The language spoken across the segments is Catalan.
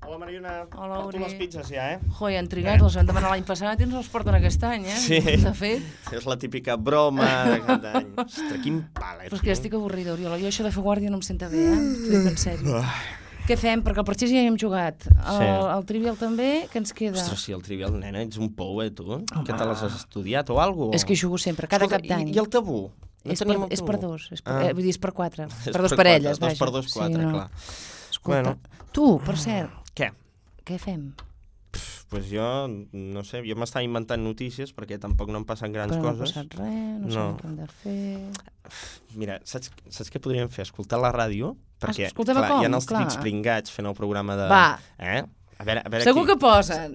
Hola, Mariona. Hola, Porto les pizzas ja, Joi, han trigat, les van demanar l'any passat i ens els porten aquest any, Sí. De fet. És la típica broma de cap d'any. Ostres, quin pal, Però és que ja estic avorrida, Oriol. Jo això de fer guàrdia no em senta bé, T'ho dic en sèrio. Què fem? Perquè el partit ja hi hem jugat. El Trivial també, què ens queda? Ostres, sí, el Trivial, nena, ets un pou, tu? Que te l'has estudiat o alguna cosa? És que hi jugo sempre, cada cap d'any. I el tabú? És per dos, vull dir, és per quatre. Per dos parelles, vaja. Dos per dos, quatre, clar. Escolta, tu, per cert. Què? Què fem? Pues jo, no sé, jo m'estava inventant notícies perquè tampoc no em passen grans coses. Però no ha passat res, no sabem què hem de fer... Mira, saps què podríem fer? Escoltar la ràdio, perquè clar, hi ha els típics pringats fent el programa de... Va. A veure segur aquí. Que posen.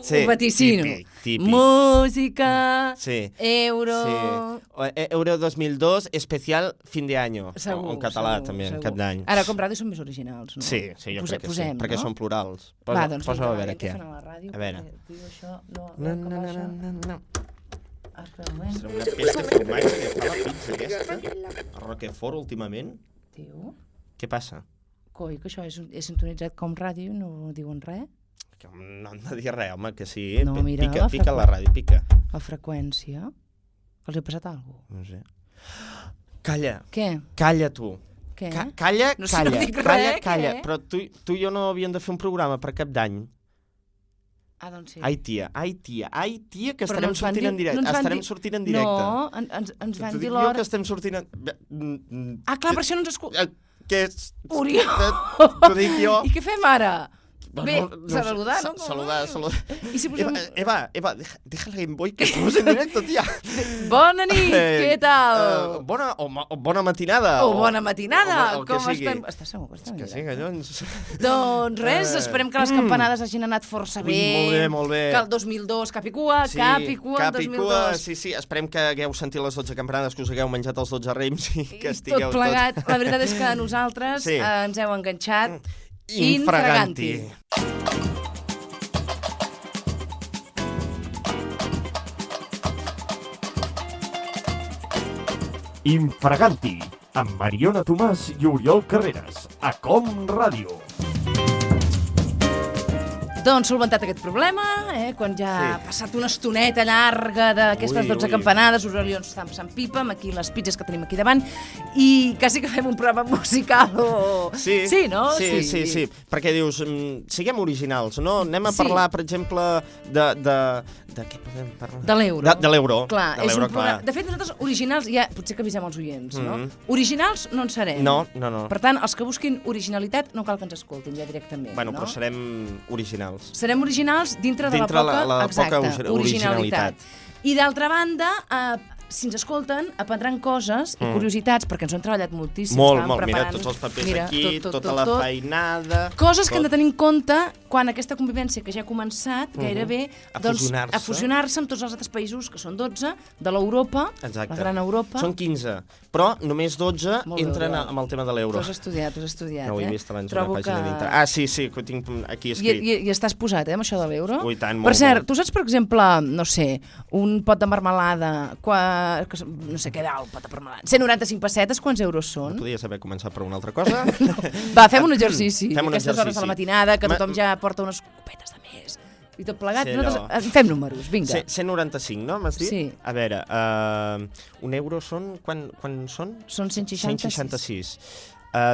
Sí, ho vaticino. Típic. Música, sí. Euro... Sí. Euro 2002, especial fin de año. Segur, en català, segur, també, segur. en cap d'any. Ara, com ràdio són més originals, no? Sí, jo crec que sí, perquè són plurals. Doncs posa a veure què. A veure. Això No. Serà una pesta formatge que fa la pizza aquesta. El Roquefort, últimament. Tio? Què passa? Coi, que això és sintonitzat com ràdio, no diuen res? No hem de dir res, home, que sí. No, mira, pica la ràdio, pica. La freqüència? Els he passat alguna cosa? No sé. Calla. Què? Calla, tu. Què? Calla, no sé, no dic res, calla. Què? Però tu i jo no havíem de fer un programa per cap d'any. Doncs sí. Ai, tia, que estarem sortint en directe. Estarem sortint en directe. No, ens van dir l'hora... que estem sortint en... Clar, per això no ens escolta... Què és? Oriol! T'ho dic jo. I què fem ara? Bé, saludar, ¿no? Saludar. ¿Y si posem... Eva, deja el Game Boy que estamos en directo, tía. Bona nit, què tal? Bona matinada. O bona matinada, o com sigui. estem? Estàs segur que estem Que sí, collons. Doncs res, esperem que les campanades hagin anat força bé. Molt bé. Que el 2002 cap i cua, cap i cua el 2002. Sí, esperem que hagueu sentit les 12 campanades, que us hagueu menjat els 12 raïms i que estigueu tot plegat. La veritat és que nosaltres ens heu enganxat infraganti. Infraganti, amb Mariona Tomàs i Oriol Carreras, a Com Ràdio. Doncs solventat aquest problema, quan ja ha passat una estoneta llarga d'aquestes 12 campanades, us ens estan passant pipa, amb aquí les pizzas que tenim aquí davant, i quasi que fem un programa musical o... Sí, no? Sí, perquè dius, siguem originals, no? Anem a parlar, per exemple, de què podem parlar? De l'euro. De l'euro. Clar, és un programa... De fet, nosaltres originals, ja potser que avisem els oients, no? Originals no en serem. No. Per tant, els que busquin originalitat no cal que ens escoltin ja directament, no? Però serem originals. Serem originals dintre de la poca originalitat. I d'altra banda, si ens escolten, aprendran coses i curiositats, perquè ens ho han treballat moltíssim. Molt. Mira, tots els papers aquí, tota la feinada... Coses que hem de tenir en compte quan aquesta convivència que ja ha començat, gairebé, a fusionar-se amb tots els altres països, que són 12, de l'Europa, la gran Europa. Són 15, però només 12 entren amb el tema de l'euro. T'ho has estudiat, No ho he vist abans una pàgina dintre. Sí, que ho tinc aquí escrit. I estàs posat, amb això de l'euro? Ui, tant, molt. Per cert, tu saps, per exemple, no sé, un pot de marmelada, no sé què val, pot de marmelada, 195 pessetes, quants euros són? No podies haver començat per una altra cosa? Va, fem un exercici. Fem un Aquestes hores de la matinada, que tothom ja porta unes copetes de més. I tot plegat, nosaltres fem números, vinga. 195, no? M'has dit? Sí. A veure, un euro són... Quan són? Són 166.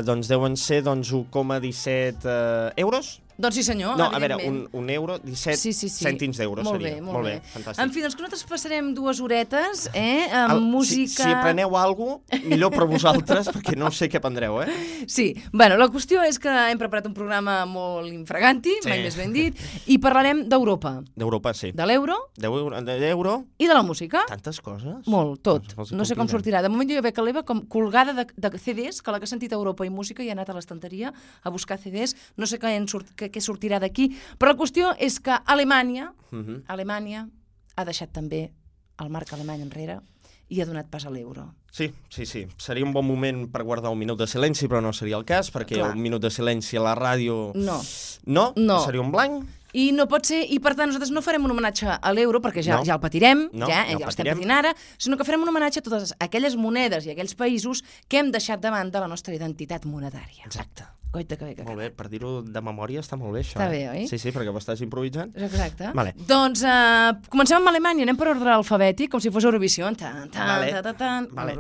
Doncs deuen ser 1,17 euros? Doncs sí, senyor, no, a veure, un euro, 17 cèntims d'euro seria. Molt bé, fantàstic. En fi, doncs que nosaltres passarem 2 horetes, amb música... Si apreneu alguna cosa, millor per vosaltres, perquè no sé què aprendreu, Sí, bueno, la qüestió és que hem preparat un programa molt infraganti, mai més ben dit, i parlarem d'Europa. D'Europa, sí. De l'euro. De l'euro. I de la música. Tantes coses. Molt, tot. No sé com sortirà. De moment jo veig l'Eva com colgada de CDs, que la que ha sentit Europa i música i ha anat a l'estanteria a buscar CDs. No sé què sortirà d'aquí, però la qüestió és que Alemanya ha deixat també el marc alemany enrere i ha donat pas a l'euro. Sí. Seria un bon moment per guardar un minut de silenci, però no seria el cas, perquè un minut de silenci a la ràdio... No. Seria un blanc. I no pot ser, i per tant nosaltres no farem un homenatge a l'euro, perquè ja el patirem, ja l'estem patint ara, sinó que farem un homenatge a totes aquelles monedes i aquells països que hem deixat davant de la nostra identitat monetària. Exacte. Coita que bé que Molt bé, per dir-ho de memòria està molt bé, això. Està bé, oi? Sí, perquè ho estàs improvisant. Exacte. Vale. Doncs comencem amb Alemanya, anem per ordre alfabètic, com si fos Eurovisió. Vale.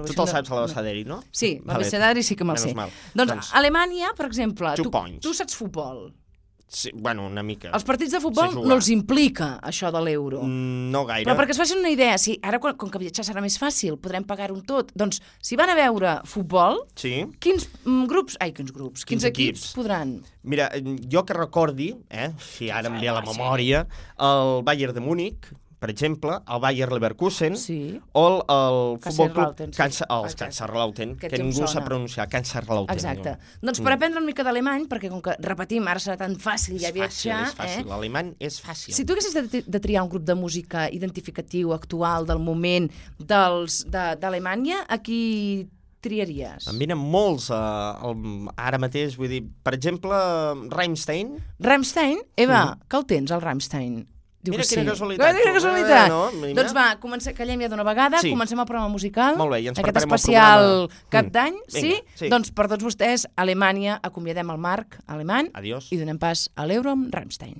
Tu te'l saps a l'abecedari, no? Sí, l'abecedari sí que me'l sé. Doncs Alemanya, per exemple, tu saps futbol. Sí, bueno, una mica. Els partits de futbol no els implica això de l'euro. No gaire. Però perquè es facin una idea, ara com que viatjar serà més fàcil, podrem pagar-ho tot, doncs si van a veure futbol, quins equips podran? Mira, jo que recordi, si ara em ve a la memòria, el Bayern de Múnich, per exemple, el Bayer Leverkusen o el Futbol Club Kaiserslautern, que ningú sap pronunciar, Kaiserslautern. Exacte. Doncs per aprendre una mica d'alemany, perquè com que, repetim, ara serà tan fàcil ja viatjar... És fàcil, l'alemany és fàcil. Si tu haguessis de triar un grup de música identificatiu, actual, del moment, d'Alemanya, a qui triaries? Em venen molts ara mateix, vull dir, per exemple, Rammstein. Rammstein? Eva, que el tens, el Rammstein? Mira quina casualitat. Quina casualitat. Doncs va, callem ja d'una vegada, comencem el programa musical. Molt bé, i ens aquest preparem especial cap d'any, sí? Doncs per tots vostès, Alemanya, acomiadem el Marc alemany i donem pas a l'euro amb Rammstein.